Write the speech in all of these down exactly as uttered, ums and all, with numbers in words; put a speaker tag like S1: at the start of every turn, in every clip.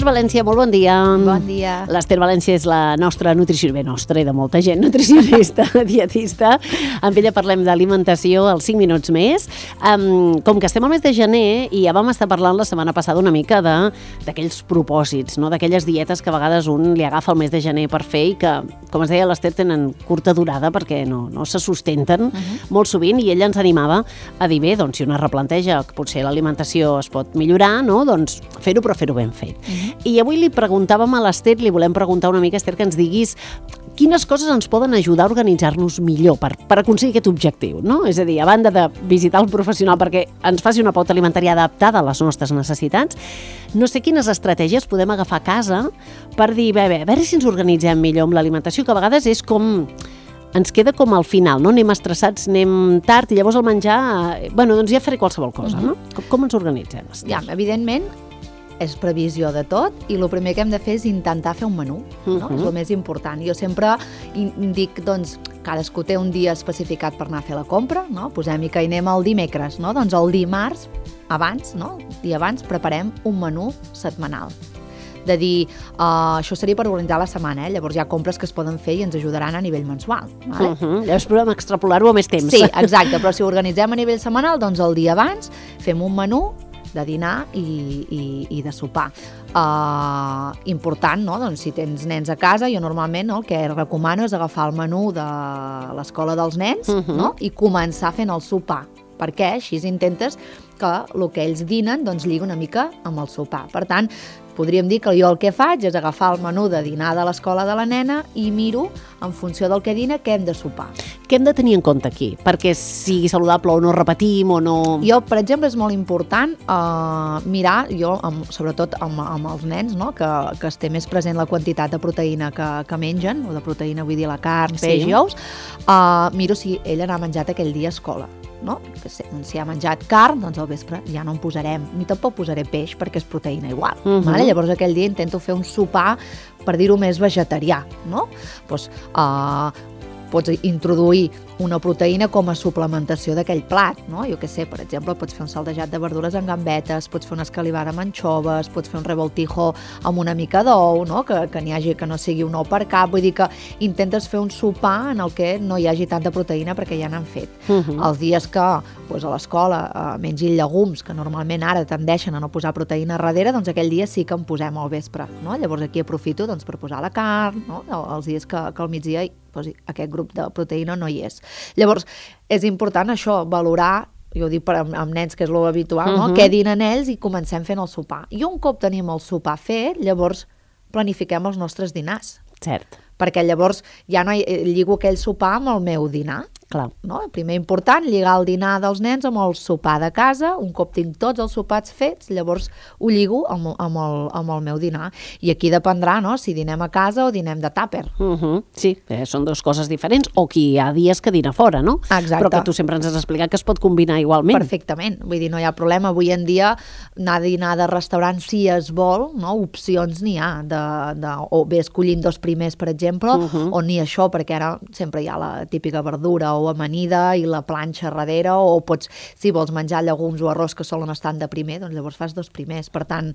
S1: València, molt bon dia.
S2: Bon dia.
S1: L'Ester València és la nostra nutricionista, bé, nostra i de molta gent, nutricionista, dietista. Amb ella parlem d'alimentació als cinc minuts més. Um, com que estem al mes de gener i ja vam estar parlant la setmana passada una mica de d'aquells propòsits, no? D'aquelles dietes que a vegades un li agafa el mes de gener per fer i que, com es deia l'Ester, tenen curta durada perquè no, no se sustenten uh-huh. molt sovint, i ella ens animava a dir, bé, doncs si una replanteja que potser l'alimentació es pot millorar, no? Doncs fer-ho, però fer-ho ben fet. Uh-huh. I avui li preguntàvem a l'Ester, li volem preguntar una mica, Ester, que ens diguis quines coses ens poden ajudar a organitzar-nos millor per, per aconseguir aquest objectiu, no? És a dir, a banda de visitar el professional perquè ens faci una pauta alimentària adaptada a les nostres necessitats, no sé quines estratègies podem agafar a casa per dir, bé, bé, a veure si ens organitzem millor amb l'alimentació, que a vegades és com... ens queda com al final, no? Anem estressats, anem tard, i llavors el menjar... Bueno, doncs ja faré qualsevol cosa, no? Com, com ens organitzem?
S2: Ja, evidentment, és previsió de tot, i el primer que hem de fer és intentar fer un menú, no? Uh-huh. És el més important. Jo sempre dic, doncs, cadascú té un dia especificat per anar a fer la compra, no? Posem-hi que hi anem el dimecres, no? Doncs el dimarts, abans, no? Dia abans, preparem un menú setmanal. De dir, uh, això seria per organitzar la setmana, eh? Llavors hi ha compres que es poden fer i ens ajudaran a nivell mensual. Vale?
S1: Uh-huh. Llavors podem extrapolar-ho a més temps.
S2: Sí, exacte, però si ho organitzem a nivell setmanal, doncs el dia abans fem un menú de dinar i, i, i de sopar. Uh, important, no? Doncs si tens nens a casa, jo normalment no, el que recomano és agafar el menú de l'escola dels nens, uh-huh. no? I començar fent el sopar, perquè així intentes que el que ells dinen doncs lligui una mica amb el sopar. Per tant, podríem dir que jo el que faig és agafar el menú de dinar de l'escola de la nena i miro, en funció del que dina, què hem de sopar.
S1: Què hem de tenir en compte aquí? Perquè sigui saludable o no repetim o no...
S2: Jo, per exemple, és molt important uh, mirar, jo, amb, sobretot amb, amb els nens, no? que, que es té més present la quantitat de proteïna que, que mengen, o de proteïna vull dir la carn, peix
S1: sí.
S2: i ous, uh, miro si ell n'ha menjat aquell dia a escola. No? Si ha menjat carn, doncs al vespre ja no en posarem, ni tampoc posaré peix perquè és proteïna igual. Uh-huh. Vale? Llavors aquell dia intento fer un sopar, per dir-ho més, vegetarià, no? Pues, uh, pots introduir una proteïna com a suplementació d'aquell plat, no? Jo què sé, per exemple, pots fer un saldejat de verdures amb gambetes, pots fer una escalivada amb anxoves, pots fer un revoltijo amb una mica d'ou, no? Que, que n'hi hagi, que no sigui un ou per cap, vull dir que intentes fer un sopar en el que no hi hagi tanta proteïna perquè ja n'han fet. Uh-huh. Els dies que pues, a l'escola eh, mengin llegums, que normalment ara tendeixen a no posar proteïna darrere, doncs aquell dia sí que en posem al vespre, no? Llavors aquí aprofito doncs, per posar la carn, no? Els dies que, que al migdia doncs, aquest grup de proteïna no hi és. Llavors, és important això, valorar, jo ho dic per amb, amb nens, que és l'habitual, no? Uh-huh. Què dinen ells i comencem fent el sopar. I un cop tenim el sopar fet, llavors planifiquem els nostres dinars.
S1: Cert.
S2: Perquè llavors ja no hi, lligo aquell sopar amb el meu dinar.
S1: Clar.
S2: No? Primer important, lligar el dinar dels nens amb el sopar de casa. Un cop tinc tots els sopars fets, llavors ho lligo amb, amb, el, amb el meu dinar. I aquí dependrà, no?, si dinem a casa o dinem de tàper.
S1: Uh-huh. Sí, eh, són dues coses diferents, o qui hi ha dies que dina fora, no?
S2: Exacte.
S1: Però que tu sempre ens has explicat que es pot combinar igualment.
S2: Perfectament, vull dir, no hi ha problema. Avui en dia anar a dinar de restaurant, si es vol, no? Opcions n'hi ha, de, de, o bé escollint dos primers, per exemple, uh-huh. o ni això, perquè ara sempre hi ha la típica verdura o amanida i la planxa darrere, o pots, si vols menjar llegums o arròs que solen estar de primer, doncs llavors fas dos primers. Per tant,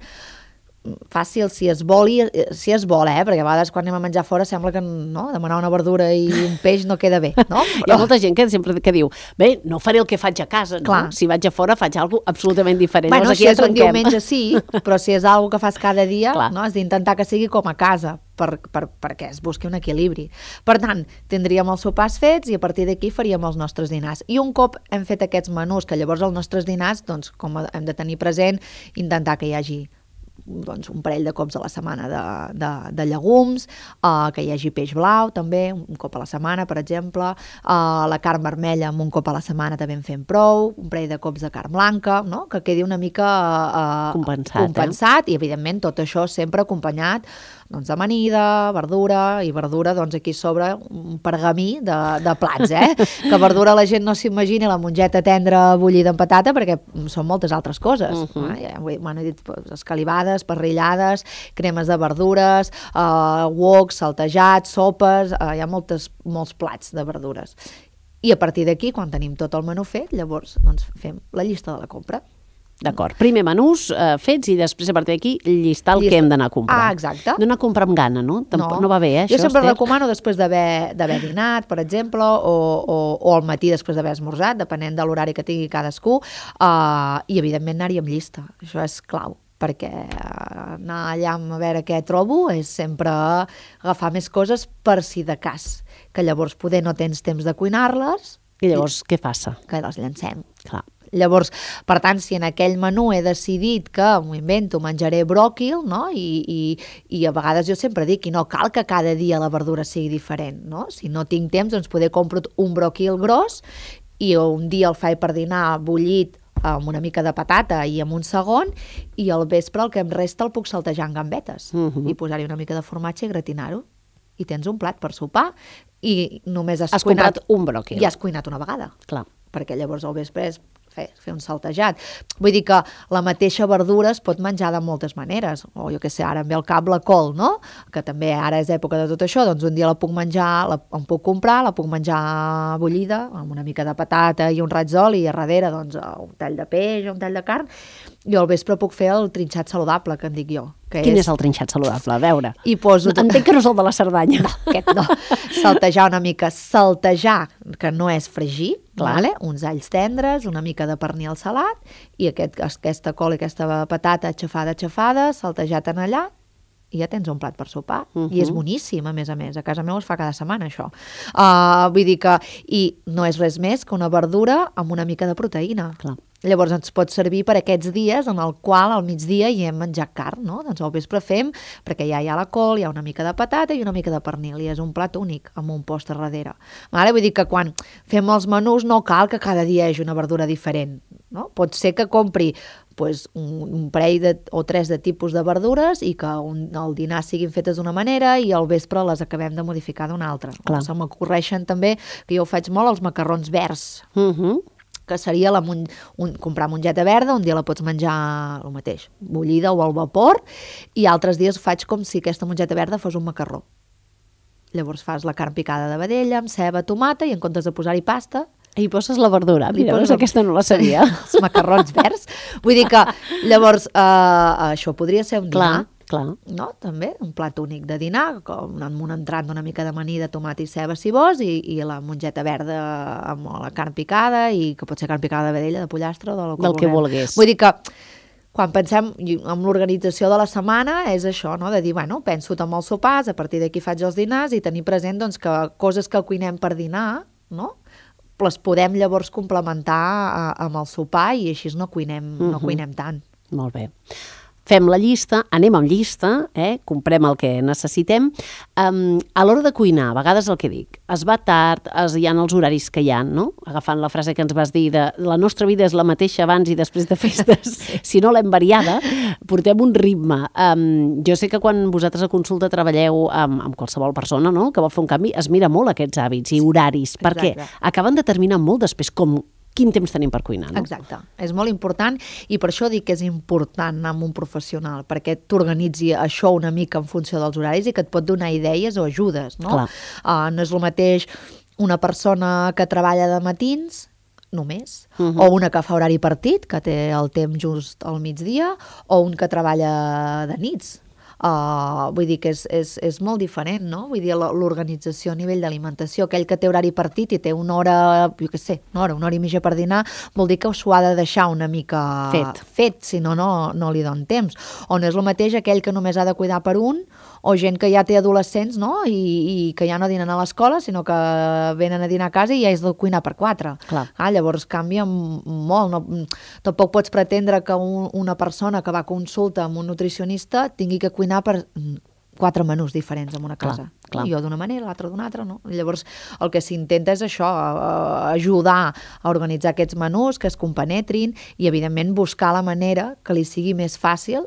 S2: fàcil si es vol, i, si es vol, eh? Perquè a vegades quan anem a menjar fora sembla que no, demanar una verdura i un peix no queda bé, no? Però...
S1: Hi ha molta gent que sempre que diu, bé, no faré el que faig a casa, no? Si vaig a fora faig alguna cosa absolutament diferent.
S2: Bueno,
S1: Llavors,
S2: si és un diumenge sí, però si és alguna que fas cada dia, no? Has d'intentar que sigui com a casa, per, per, perquè es busqui un equilibri. Per tant, tindríem els sopars fets i a partir d'aquí faríem els nostres dinars. I un cop hem fet aquests menús, que llavors els nostres dinars, doncs, com hem de tenir present, intentar que hi hagi doncs, un parell de cops a la setmana de, de, de llegums, uh, que hi hagi peix blau també, un cop a la setmana, per exemple, uh, la carn vermella amb un cop a la setmana també en fem prou, un parell de cops de carn blanca, no? Que quedi una mica uh,
S1: compensat,
S2: compensat
S1: eh?
S2: I evidentment tot això sempre acompanyat doncs, d'amanida, verdura, i verdura doncs aquí sobre un pergamí de, de plats, eh? Que verdura la gent no s'imagina la mongeta tendra bullida amb patata perquè són moltes altres coses. Uh-huh. eh? Ja, bueno, he dit escalivades, parrillades, cremes de verdures, eh, woks, saltejats, sopes, eh, hi ha moltes, molts plats de verdures. I a partir d'aquí, quan tenim tot el menú fet, llavors doncs, fem la llista de la compra.
S1: D'acord. Primer menús eh, fets i després a partir d'aquí llistar el
S2: Llista.
S1: que hem d'anar a comprar.
S2: Ah, exacte.
S1: No anar a comprar amb gana, no? Tampoc, no. no va bé, eh,
S2: Jo
S1: això,
S2: sempre
S1: Esther?
S2: recomano després d'haver d'haver dinat, per exemple, o, o, o al matí després d'haver esmorzat, depenent de l'horari que tingui cadascú, uh, i evidentment anar-hi amb llista. Això és clau, perquè anar allà a veure què trobo és sempre agafar més coses per si de cas, que llavors poder no tens temps de cuinar-les.
S1: I llavors, què passa?
S2: Que les llancem.
S1: Clar.
S2: Llavors, per tant, si en aquell menú he decidit que, m'ho invento, menjaré bròquil, no? I, i, i a vegades jo sempre dic, i no cal que cada dia la verdura sigui diferent, no? Si no tinc temps, doncs poder compro un bròquil gros i un dia el faig per dinar bullit amb una mica de patata i amb un segon, i al vespre el que em resta el puc saltejar en gambetes
S1: uh-huh.
S2: i posar-hi una mica de formatge i gratinar-ho. I tens un plat per sopar i només has,
S1: has
S2: cuinat...
S1: comprat un bròquil.
S2: I has cuinat una vegada.
S1: Clar.
S2: Perquè llavors al vespre és fer, fer un saltejat. Vull dir que la mateixa verdura es pot menjar de moltes maneres. O jo què sé, ara em ve al cap la col, no? Que també ara és època de tot això, doncs un dia la puc menjar, la, em puc comprar, la puc menjar bullida, amb una mica de patata i un raig d'oli, i a darrere doncs un tall de peix, un tall de carn, i al vespre puc fer el trinxat saludable, que en dic jo. Que
S1: Quin és...
S2: és
S1: el trinxat saludable? A veure.
S2: I poso...
S1: Entenc que no és el de la Cerdanya.
S2: No, aquest no. Saltejar una mica. Saltejar, que no és fregir, vale? Uns alls tendres, una mica de pernil salat, i aquest, aquesta col i aquesta patata aixafada, aixafada, saltejat en allà, i ja tens un plat per sopar. Uh-huh. I és boníssim, a més a més. A casa meva es fa cada setmana, això. Uh, vull dir que... I no és res més que una verdura amb una mica de proteïna.
S1: Clar.
S2: Llavors ens pot servir per aquests dies en el qual al migdia hi hem menjat carn, no? Doncs al vespre fem, perquè ja hi ha la col, hi ha una mica de patata i una mica de pernil, i és un plat únic, amb un post a darrere. Vale? Vull dir que quan fem els menús no cal que cada dia hi hagi una verdura diferent, no? Pot ser que compri pues, un, un parell de, o tres de tipus de verdures i que un, el dinar siguin fetes d'una manera i al vespre les acabem de modificar d'una altra.
S1: Clar.
S2: Se m'ocorreixen també, que jo ho faig molt, els macarrons verds.
S1: Mhm. Uh
S2: que seria la mon... un... comprar mongeta verda, un dia la pots menjar el mateix, bullida o al vapor, i altres dies faig com si aquesta mongeta verda fos un macarró. Llavors fas la carn picada de vedella amb ceba, tomata, i en comptes de posar-hi pasta...
S1: I poses la verdura. Mira,
S2: poses...
S1: aquesta no la sabia.
S2: Els macarrons verds. Vull dir que, llavors, eh, això podria ser un dinar.
S1: Clar. Clar.
S2: No? També un plat únic de dinar, com amb un entrant d'una mica de maní de tomat i ceba si vols, i, i la mongeta verda amb la carn picada, i que pot ser carn picada de vedella, de pollastre, del que,
S1: del que volgués.
S2: Vull dir que quan pensem en l'organització de la setmana és això, no? De dir, bueno, penso amb els sopars, a partir d'aquí faig els dinars, i tenir present doncs, que coses que cuinem per dinar, no? les podem llavors complementar amb el sopar, i així no cuinem, uh-huh. no cuinem tant.
S1: Molt bé. Fem la llista, anem amb llista, eh? Comprem el que necessitem. Um, a l'hora de cuinar, a vegades el que dic, es va tard, es, hi ha els horaris que hi ha, no? Agafant la frase que ens vas dir de la nostra vida és la mateixa abans i després de festes, sí. Si no l'hem variada, portem un ritme. Um, jo sé que quan vosaltres a consulta treballeu amb, amb qualsevol persona, no?, que vol fer un canvi, es mira molt aquests hàbits i horaris, sí, perquè acaben determinant molt després com quin temps tenim per cuinar, no?
S2: Exacte. És molt important, i per això dic que és important anar amb un professional, perquè t'organitzi això una mica en funció dels horaris i que et pot donar idees o ajudes, no? Uh, no és el mateix una persona que treballa de matins només, uh-huh. o una que fa horari partit, que té el temps just al migdia, o un que treballa de nits. Uh, vull dir que és, és, és molt diferent, no? Vull dir, l'organització a nivell d'alimentació, aquell que té horari partit i té una hora, jo què sé, una hora, una hora i mitja per dinar, vol dir que s'ho ha de deixar una mica
S1: fet,
S2: fet si no, no, no li don temps. O no és el mateix aquell que només ha de cuidar per un, o gent que ja té adolescents, no?, I, i que ja no dinen a l'escola, sinó que venen a dinar a casa i ja és de cuinar per quatre.
S1: Clar.
S2: Ah, llavors canvia molt. No, tampoc pots pretendre que un, una persona que va a consulta amb un nutricionista tingui que cuinar per quatre menús diferents en una casa.
S1: Clar, clar.
S2: Jo d'una manera, l'altra d'una altra, no? Llavors, el que s'intenta és això, ajudar a organitzar aquests menús, que es compenetrin, i, evidentment, buscar la manera que li sigui més fàcil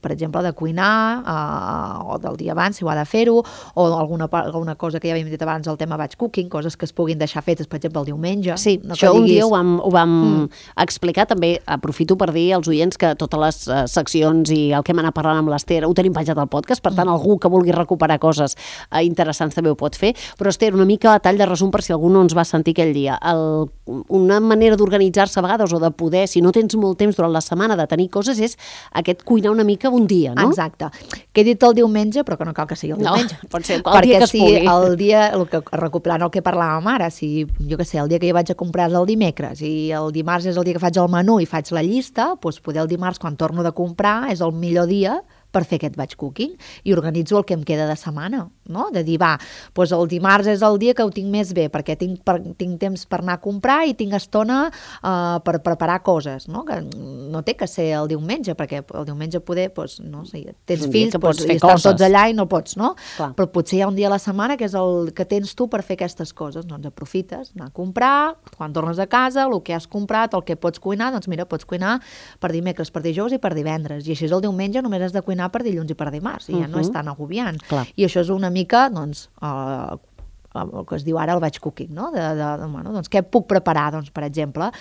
S2: per exemple, de cuinar, eh, o del dia abans, si ho ha de fer-ho, o alguna, alguna cosa que ja havíem dit abans, el tema batch cooking, coses que es puguin deixar fetes, per exemple, el diumenge.
S1: Sí,
S2: no
S1: això
S2: diguis...
S1: un dia ho vam, ho vam mm. explicar, també aprofito per dir als oients que totes les uh, seccions i el que hem anat parlant amb l'Ester ho tenim penjat al podcast, per tant, mm. algú que vulgui recuperar coses uh, interessants també ho pot fer, però Ester, una mica a tall de resum per si algú no ens va sentir aquell dia. El, una manera d'organitzar-se a vegades o de poder, si no tens molt temps durant la setmana de tenir coses, és aquest cuinar una mica un dia, no?
S2: Exacte. Que he dit el diumenge, però que no cal que sigui el diumenge.
S1: No, pot ser el dia que es
S2: si
S1: pugui.
S2: el dia, el que, recuperant el que parlàvem ara, si, jo què sé, el dia que jo vaig a comprar és el dimecres i el dimarts és el dia que faig el menú i faig la llista, doncs poder el dimarts, quan torno de comprar, és el millor dia per fer aquest batch cooking i organitzo el que em queda de setmana, no? De dir, va, doncs el dimarts és el dia que ho tinc més bé, perquè tinc, per, tinc temps per anar a comprar i tinc estona uh, per preparar coses, no? Que no té que ser el diumenge, perquè el diumenge poder, doncs, no sé, tens fills, doncs, i estan tots allà i no pots, no? Clar. Però potser hi ha un dia a la setmana que és el que tens tu per fer aquestes coses, doncs aprofites, anar a comprar, quan tornes a casa, el que has comprat, el que pots cuinar, doncs mira, pots cuinar per dimecres, per dijous i per divendres, i així el diumenge només has de cuinar per dilluns i per dimarts, i ja uh-huh. no és tan agobiant. Clar. I això és una mica, doncs, uh, el que es diu ara el batch cooking, no? De, de, de, bueno, doncs, què puc preparar? Doncs, per exemple,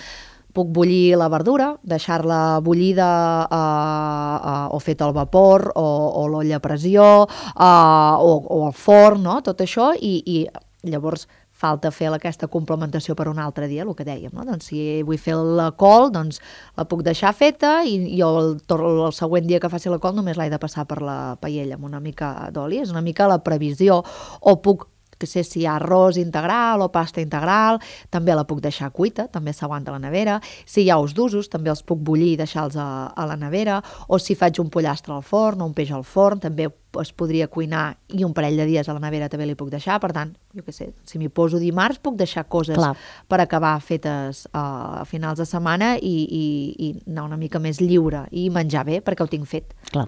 S2: puc bullir la verdura, deixar-la bullida uh, uh, o feta al vapor, o, o l'olla a pressió, uh, o, o al forn, no? Tot això, i, i llavors falta fer aquesta complementació per un altre dia, el que dèiem, no? Doncs si vull fer la col, doncs la puc deixar feta i, i el, el següent dia que faci la col només l'he de passar per la paella amb una mica d'oli, és una mica la previsió. O puc, que sé si hi ha arròs integral o pasta integral, també la puc deixar cuita, també s'aguanta a la nevera. Si hi ha ous d'usos, també els puc bullir i deixar-los a, a la nevera. O si faig un pollastre al forn o un peix al forn, també es podria cuinar i un parell de dies a la nevera també li puc deixar. Per tant, jo què sé, si m'hi poso dimarts puc deixar coses Clar. per acabar fetes uh, a finals de setmana i, i, i anar una mica més lliure i menjar bé perquè ho tinc fet.
S1: Clar.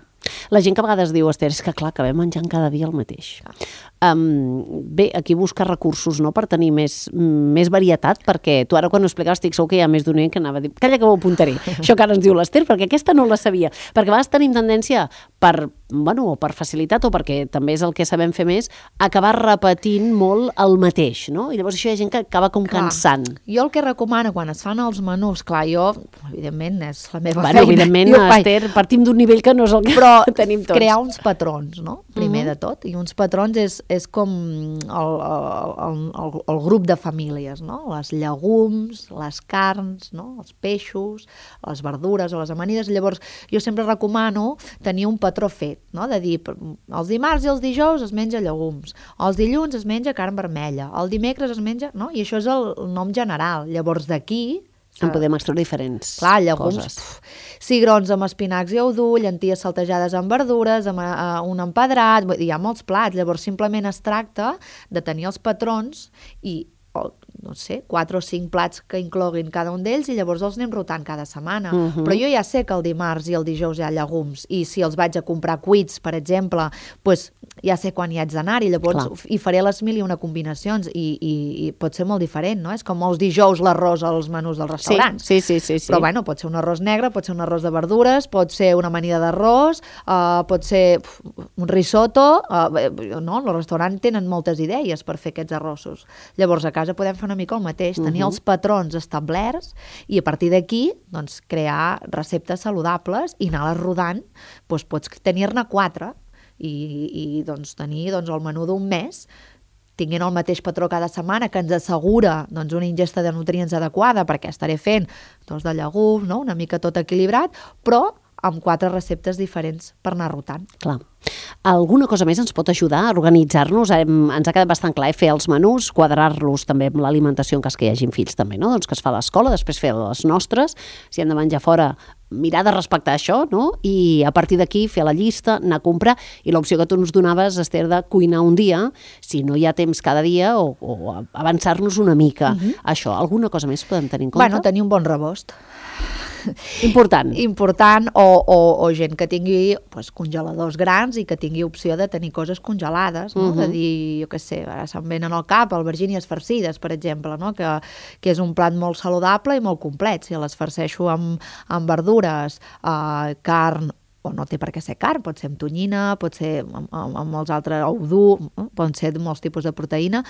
S1: La gent que a vegades diu, Ester, és que clar, acabem menjant cada dia el mateix. Um, bé, aquí buscar recursos, no?, per tenir més, més varietat, perquè tu ara quan ho explicaves estic segur que hi ha més d'un oient que anava a dir, calla que m'ho apuntaré, això que ara ens diu l'Ester, perquè aquesta no la sabia, perquè a vegades tenim tendència per, bueno, o per facilitat o perquè també és el que sabem fer més, acabar repetint molt el mateix, no? I llavors això hi ha gent que acaba com clar. cansant.
S2: Jo el que recomano quan es fan els menús, clar, jo, evidentment, és la meva
S1: bueno,
S2: feina.
S1: Evidentment, Ester, partim d'un nivell que no és el que
S2: però
S1: tenim tots.
S2: Crear uns patrons, no? Primer uh-huh. de tot. I uns patrons és, és com el, el, el, el grup de famílies, no? Les llegums, les carns, no? Els peixos, les verdures o les amanides. Llavors, jo sempre recomano tenir un patró fet, no? De dir, els dimarts i els dijous es menja llegums, els dilluns es menja carn vermella, el dimecres es menja... No? I això és el nom general. Llavors, d'aquí...
S1: En podem extreure diferents
S2: Clar, llegums,
S1: coses.
S2: Pf, cigrons amb espinacs i ous, llenties saltejades amb verdures, amb uh, un empedrat, hi ha molts plats, llavors simplement es tracta de tenir els patrons i, o, no sé, quatre o cinc plats que incloguin cada un d'ells i llavors els anem rotant cada setmana. Uh-huh. Però jo ja sé que el dimarts i el dijous hi ha llegums i si els vaig a comprar cuits, per exemple, pues, ja sé quan hi haig d'anar i llavors Clar. hi faré les mil i una combinacions i, i, i pot ser molt diferent, no? És com els dijous l'arròs als menús dels restaurants.
S1: Sí, sí, sí, sí.
S2: Però bueno, pot ser un arròs negre, pot ser un arròs de verdures, pot ser una amanida d'arròs, uh, pot ser uf, un risotto, uh, no? Els restaurants tenen moltes idees per fer aquests arrossos. Llavors a casa podem fer una mica el mateix, tenir uh-huh. els patrons establerts i a partir d'aquí doncs, crear receptes saludables i anar-les rodant, doncs pots tenir-ne quatre i, i doncs, tenir doncs, el menú d'un mes tinguent el mateix patró cada setmana que ens assegura doncs, una ingesta de nutrients adequada perquè estaré fent doncs, de llegums, no? Una mica tot equilibrat, però amb quatre receptes diferents per anar rotant.
S1: Clar. Alguna cosa més ens pot ajudar a organitzar-nos? Hem, ens ha quedat bastant clar, eh? Fer els menús, quadrar-los també amb l'alimentació en cas que hi hagin fills també, no? Doncs que es fa a l'escola, després fer les nostres, si hem de menjar fora, mirar de respectar això, no? I a partir d'aquí fer la llista, anar a comprar, i l'opció que tu ens donaves, Ester, de cuinar un dia, si no hi ha temps cada dia, o, o avançar-nos una mica. Uh-huh. Això, alguna cosa més podem tenir en compte?
S2: Bueno, tenir un bon rebost.
S1: Important.
S2: Important, o, o, o gent que tingui pues, congeladors grans i que tingui opció de tenir coses congelades, no? Uh-huh. De dir, jo què sé, ara se'm venen al cap albergínies farcides, per exemple, no? que, que és un plat molt saludable i molt complet. Si les farceixo amb, amb verdures, eh, carn o no té per què ser carn, pot ser amb tonyina, pot ser amb, amb, amb molts altres, ou dur, eh? Poden ser molts tipus de proteïna,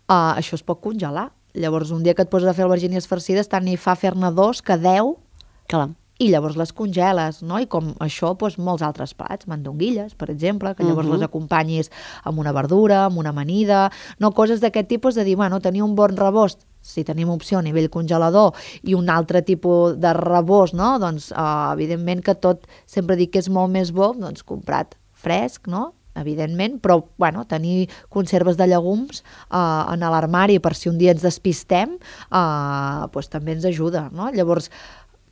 S2: uh, això es pot congelar. Llavors, un dia que et poses a fer albergínies farcides, tant n'hi fa fer-ne dos que deu,
S1: clar, i
S2: llavors les congeles, no? I com això, doncs, molts altres plats, mandonguilles, per exemple, que llavors uh -huh. les acompanyis amb una verdura, amb una amanida, no? Coses d'aquest tipus de dir, bueno, tenir un bon rebost, si tenim opció a nivell congelador, i un altre tipus de rebost, no? Doncs, uh, evidentment que tot, sempre dic que és molt més bo, doncs, comprat fresc, no? Evidentment, però bueno, tenir conserves de llegums uh, en l'armari per si un dia ens despistem, uh, doncs també ens ajuda, no? Llavors,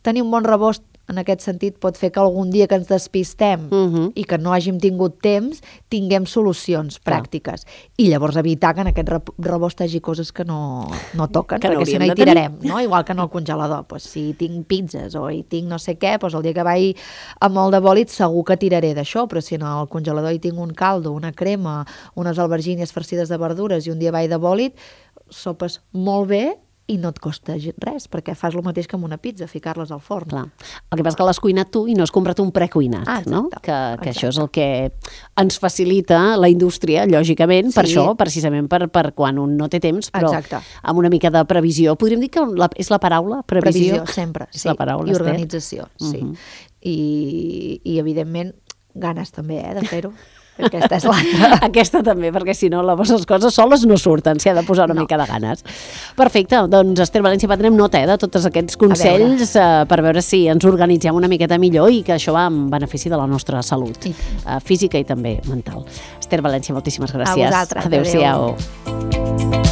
S2: tenir un bon rebost en aquest sentit pot fer que algun dia que ens despistem uh -huh. i que no hàgim tingut temps, tinguem solucions pràctiques. Clar. I llavors evitar que en aquest rebost hi hagi coses que no, no toquen, que perquè no si no hi tirarem, no? Igual que en el congelador. Pues, si tinc pizzas o hi tinc no sé què, pues el dia que vaig amb molt de bòlit segur que tiraré d'això, però si en el congelador hi tinc un caldo, una crema, unes albergínies farcides de verdures i un dia vaig de bòlit, sopes molt bé i no et costa res, perquè fas el mateix que amb una pizza, ficar-les al forn.
S1: Clar. El que passa és que l'has cuinat tu i no has comprat un precuinat, ah, no? Que, que això és el que ens facilita la indústria, lògicament, sí. Per això, precisament per, per quan un no té temps, però exacte. Amb una mica de previsió. Podríem dir que la, és la paraula? Previsió,
S2: previsió sempre,
S1: és
S2: sí.
S1: La paraula,
S2: I organització, Esther. Sí. Uh -huh. I, I, evidentment, ganes també, eh, de fer-ho. Aquesta és l'altra.
S1: Aquesta també, perquè si no, les coses soles no surten, s'hi ha de posar una no. mica de ganes. Perfecte, doncs Esther València, prenem nota eh, de tots aquests consells veure. Uh, per veure si ens organitzem una miqueta millor i que això va en benefici de la nostra salut sí. uh, física i també mental. Esther València, moltíssimes gràcies.
S2: A vosaltres.
S1: Adéu-siau. Adéu.